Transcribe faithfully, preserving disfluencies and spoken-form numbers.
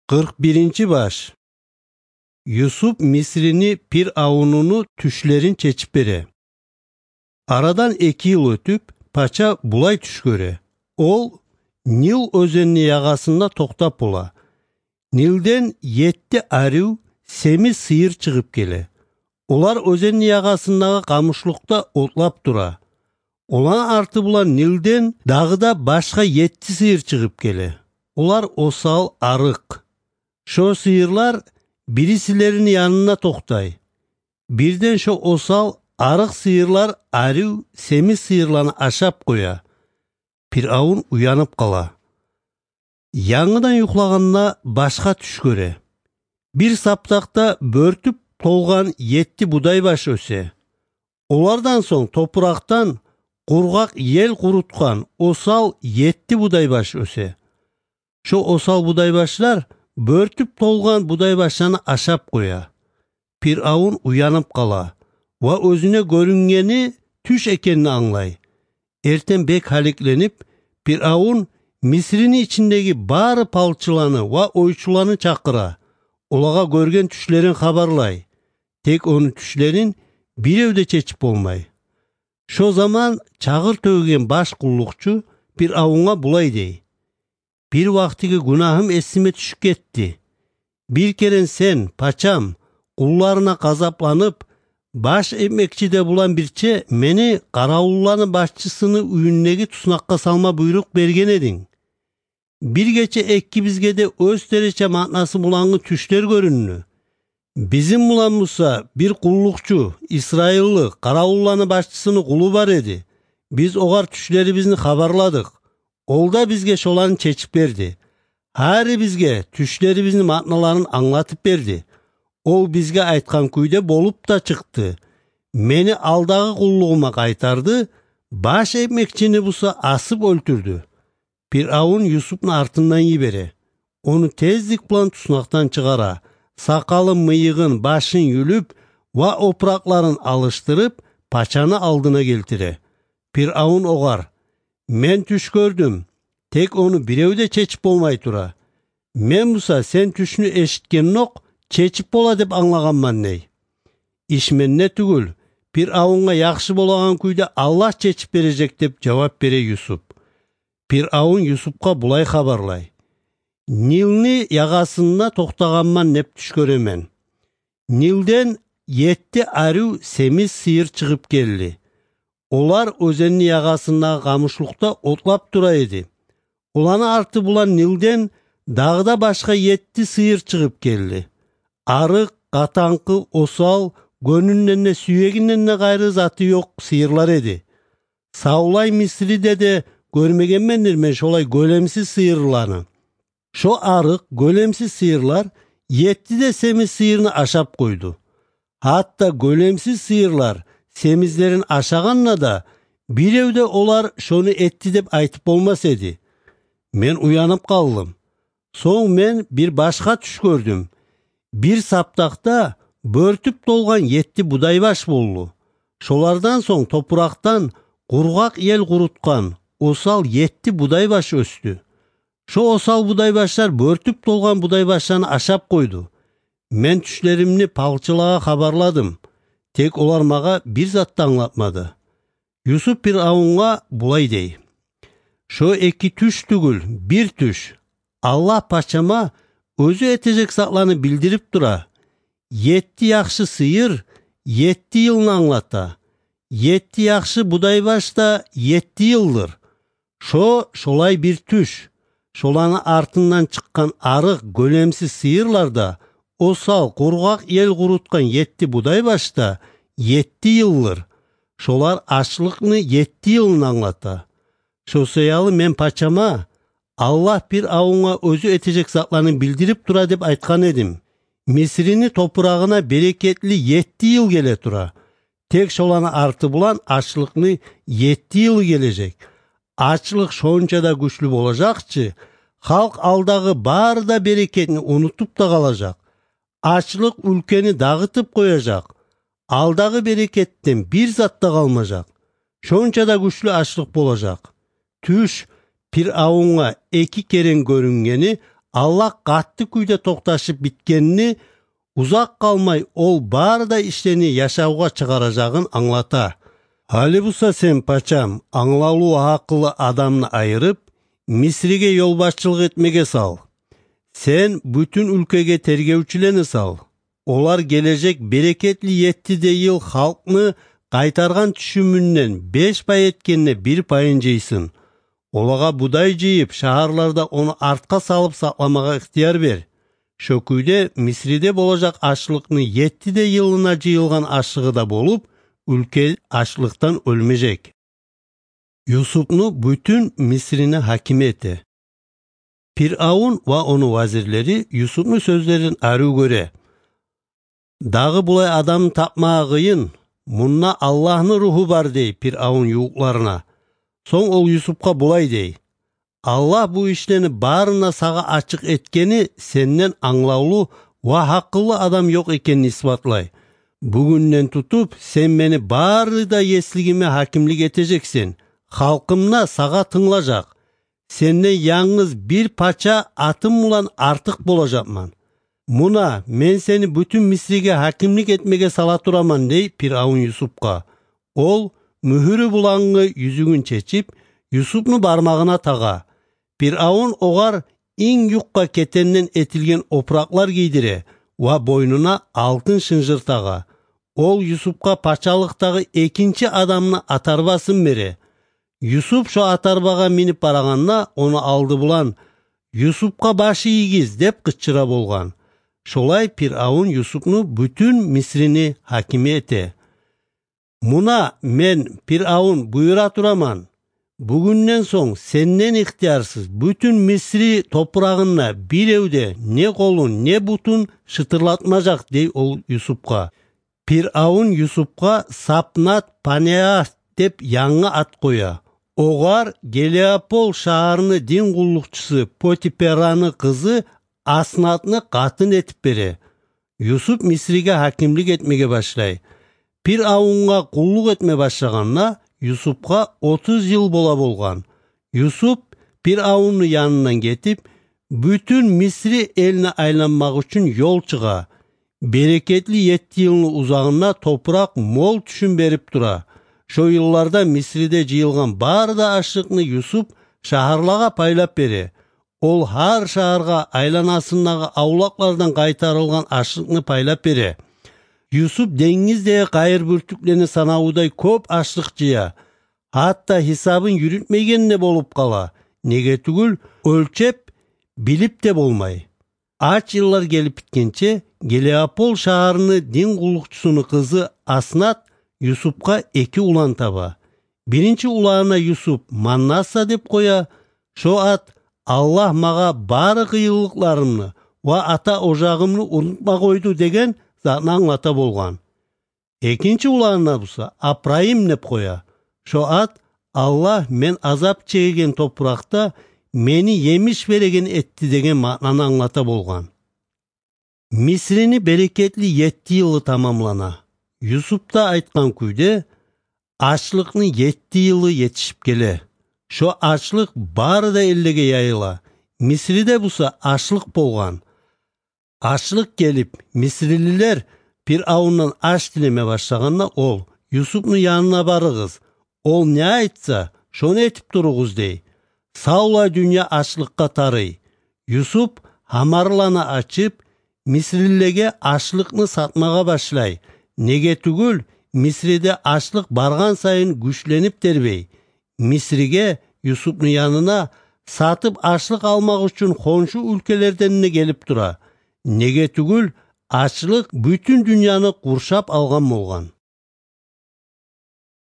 Къыркъ биринчи баш. Юсуп Мисрини пиръавунуну тюшлерин чечип бере. Арадан эки йыл оьтюп, пача булай тюш гёре. Ол Нил оьзенини ягъасында токътап бола. Нилден етти арив семиз сыйыр чыгъып геле. Олар оьзенини ягъасындагъы къамушлукъда отлап тура. Оланы арты булан Нилден дагъы да башгъа етти сыйыр чыгъып геле. Олар осал, арыкъ. Шо сыйырлар бирисилерини янында токътай. Бирден шо осал, арыкъ сыйырлар арив семиз сыйырланы ашап къоя. Пиръавун уянып къала. Янгыдан юхлагъанда башгъа тюш гёре. Бир саптакъда бёртюп толгъан етти будай баш оьсе. Олардан сонг топуракъдан къургъакъ ел къурутгъан осал етти будай баш оьсе. Шо осал будай башлар бёртюп толгъан будай башланы ашап къоя. Пиръавун уянып къала ва оьзюне гёрюннгени тюш экенин англай. Эртен бек гьаликленип, Пиръавун Мисрини ичиндеги бары палчыланы ва ойчуланы чакъыра, олагъа гёрген тюшлерин хабарлай. Тек ону тюшлерин бирев де чечип болмай. Шо заман чагъыр тёгеген баш къуллукъчу Пиръавунгъа булай дей: «Бир вакътиги гюнагьым эсиме тюшюп гетди. Бир керен сен, пачам, къулларына къазапланып, баш этмекчи де булан бирче мени къаравулланы башчысыны уьюндеги туснакъгъа салма буйрукъ берген эдинг. Бир гече экибизге де оьзлерче маънасы булангъы тюшлер гёрюндю. Бизин булан буса бир къуллукъчу, исраиллы, къаравулланы башчысыны къулу бар эди. Биз огъар тюшлерибизни хабарладыкъ. Ол да бизге шоланы чечип берди. Гьарибизге тюшлерибизни маъналарын англатып берди. Ол бизге айтгъан кюйде болуп да чыкъды. Мени алдагъы къуллугъума къайтарды, баш этмекчини буса асып оьлтюрдю». Пиръавун Юсупну артындан йибере. Ону тездик булан туснакъдан чыгъара, сакъалын, мыйыгъын, башын юлюп ва опуракъларын алышдырып, пачаны алдына гелтире. Пиръавун огъар: «Мен тюш гёрдюм, тек ону бирев де чечип болмай тура. Мен буса сен тюшню эшитгенокъ чечип бола деп англагъанман», — дей. «Иш менде тюгюл, Пиръавунгъа яхшы болагъан кюйде Аллагь чечип бережек», — деп жавап бере Юсуп. Пиръавун Юсупгъа булай хабарлай: «Нилни ягъасында токътагъанман деп тюш гёремен. Нилден етти арив семиз сыйыр чыгъып гелди. Олар оьзенни ягъасындагъы къамушлукъда отлап тура эди. Оланы арты булан Нилден дагъы да башгъа етти сыйыр чыгъып гелди. Арыкъ, къатангъы, осал, гёнюнден де, сюегинден де къайры заты ёкъ сыйырлар эди. Савлай Мисриде де гёрмегенмендир мен шолай гёлемсиз сыйырланы. Шо арыкъ, гёлемсиз сыйырлар етти де семиз сыйырны ашап къойду. Гьатта гёлемсиз сыйырлар семизлерин ашагъанда да, бирев де олар шону этди деп айтып болмас эди. Мен уянып къалдым. Сонг мен бир башгъа тюш гёрдюм. Бир саптакъда бёртюп толгъан етти будай баш болду. Шолардан сонг топуракъдан къургъакъ ел къурутгъан осал етти будай баш оьсдю. Шо осал будай башлар бёртюп толгъан будай башланы ашап къойду. Мен тюшлеримни палчылагъа хабарладым. Тек олар магъа бир зат да англатмады». Юсуп Пиръавунгъа булай дей: «Шо эки тюш тюгюл, бир тюш. Аллагь пачама оьзю этежек затланы билдирип тура. Етти яхшы сыйыр етти йылны англата. Етти яхшы будай баш да етти йылдыр. Шо шолай бир тюш. Шоланы артындан чыкъгъан арыкъ, гёлемсиз сыйырлар да, осал, къургъакъ ел къурутгъан етти будай баш да етти йылдыр. Шолар ачлыкъны етти йылын англата. Шо саялы мен пачама, Аллагь Пиръавунгъа оьзю этежек затланы билдирип тура деп айтгъан эдим. Мисрини топурагъына берекетли етти йыл геле тура. Тек шоланы арты булан ачлыкъны етти йылы гележек. Ачлыкъ шонча да гючлю болажакъ чы, халкъ алдагъы бары да берекетни унутуп да къалажакъ. Ачлыкъ уьлкени дагъытып къояжакъ. Алдагъы берекетден бир зат да къалмажакъ. Шонча да гючлю ачлыкъ болажакъ». Тюш Пиръавунгъа эки керен гёрюннгени Аллагь къатты кюйде токъташып битгенни, узакъ къалмай ол бары да ишлени яшавгъа чыгъаражагъын англата. Гьали буса сен, пачам, англавлу ва гьакъыллы адамны айырып, Мисриге ёлбашчылыкъ этмеге сал. Сен бютюн уьлкеге тергевчюлени сал. Олар гележек берекетли етти де йыл халкъны къайтаргъан тюшюмюнден беш пай этгенде бир пайын жыйсын. Олагъа будай жыйып, шагьарларда ону артгъа салып сакъламагъа ихтияр бер. Шо кюйде Мисриде болажакъ ачлыкъны етти де йылына жыйылгъан ашлыгъы да болуп, уьлке ачлыкъдан оьлмежек. Юсупну бютюн Мисрини гьакими эте. Пиръавун ва ону вазирлери Юсупну сёзлерин арив гёре. «Дагъы булай адамны тапмагъа къыйын, мунда Аллагьны руху бар», — дей Пиръавун ювукъларына. Сонг ол Юсупгъа булай дей: «Аллагь бу ишлени барын да сагъа ачыкъ этгени сенден англавлу ва гьакъыллы адам ёкъ экенин исбатлай. Бугюнден тутуп сен мени бары да еслигиме гьакимлик этежексен, халкъым да сагъа тынглажакъ. Сенден янгыз бир пача атым булан артыкъ болажакъман. Муна, мен сени бютюн Мисриге гьакимлик этмеге сала тураман», — дей Пиръавун Юсупгъа. Ол мюгьюрю булангъы юзюгюн чечип, Юсупну бармагъына тагъа. Пиръавун огъар инг юкъа кетенден этилген опуракълар гийдире ва бойнуна алтын шынжыр тагъа. Ол Юсупгъа пачалыкъдагъы экинчи адамны атарбасын бере. Юсуп шо атарбагъа минип барагъанда, ону алды булан: «Юсупгъа баш ийигиз!» — деп къычыра болгъан. Шолай Пиръавун Юсупну бютюн Мисрини гьакими эте. «Муна, мен, Пиръавун, буюра тураман: бугюнден сонг сенден ихтиярсыз бютюн Мисри топурагъында бирев де не къолун, не бутун шытырлатмажакъ», — дей ол Юсупгъа. Пиръавун Юсупгъа Сапнат-Панеа деп янгы ат къоя. Огъар Гелиополь шагьарны дин къуллукъчусу Потипераны къызы Аснатны къатын этип бере. Юсуп Мисриге гьакимлик этмеге башлай. Пиръавунгъа къуллукъ этме башлагъанда Юсупгъа отуз йыл бола болгъан. Юсуп Пиръавунну янындан гетип, бютюн Мисри элни айланмакъ учун ёл чыгъа. Берекетли етти йылны узагъында топуракъ мол тюшюм берип тура. Шо йылларда Мисриде жыйылгъан бары да ашлыкъны Юсуп шагьарлагъа пайлап бере. Ол гьар шагьаргъа айланасындагъы авлакълардан къайтарылгъан ашлыкъны пайлап бере. Юсуп денгиздеги къайыр бюртюклени санавудай кёп ашлыкъ жыя. Гьатта гьисабын юрютмейген де болуп къала. Неге тюгюл, оьлчеп билип де болмай. Ач йыллар гелип битгенче, Гелиополь шагьарны дин къуллукъчусуну къызы Аснат Юсупгъа эки улан таба. Биринчи уланына Юсуп Маннаса деп къоя. Шо ат «Аллагь магъа бары къыйынлыкъларымны ва ата ожагъымны унутма къойду» деген затны англата болгъан. Экинчи уланына буса Апрайым деп къоя. Шо ат «Аллагь мен азап чегеген топуракъда мени емиш береген этди» деген маънаны англата болгъан. Мисрини берекетли етти йылы тамамлана. Юсуп да айтгъан кюйде, ачлыкъны етти йылы етишип геле. Шо ачлыкъ бары да эллеге яйыла. Мисриде буса ачлыкъ болгъан. Ачлыкъ гелип, мисрилилер Пиръавундан аш тилеме башлагъанда, ол: «Юсупну янына барыгъыз, ол не айтса, шону этип туругъуз», — дей. Савлай дюнья ачлыкъгъа тарый. Юсуп гьамарланы ачып, мисрилилеге ашлыкъны сатмагъа башлай. Неге тюгюл, Мисриде ачлыкъ баргъан сайын гючленип тербей. Мисриге, Юсупну янына сатып ашлыкъ алмакъ учун хоншу уьлкелерден де гелип тура. Неге тюгюл, ачлыкъ бютюн дюньяны къуршап алгъан болгъан.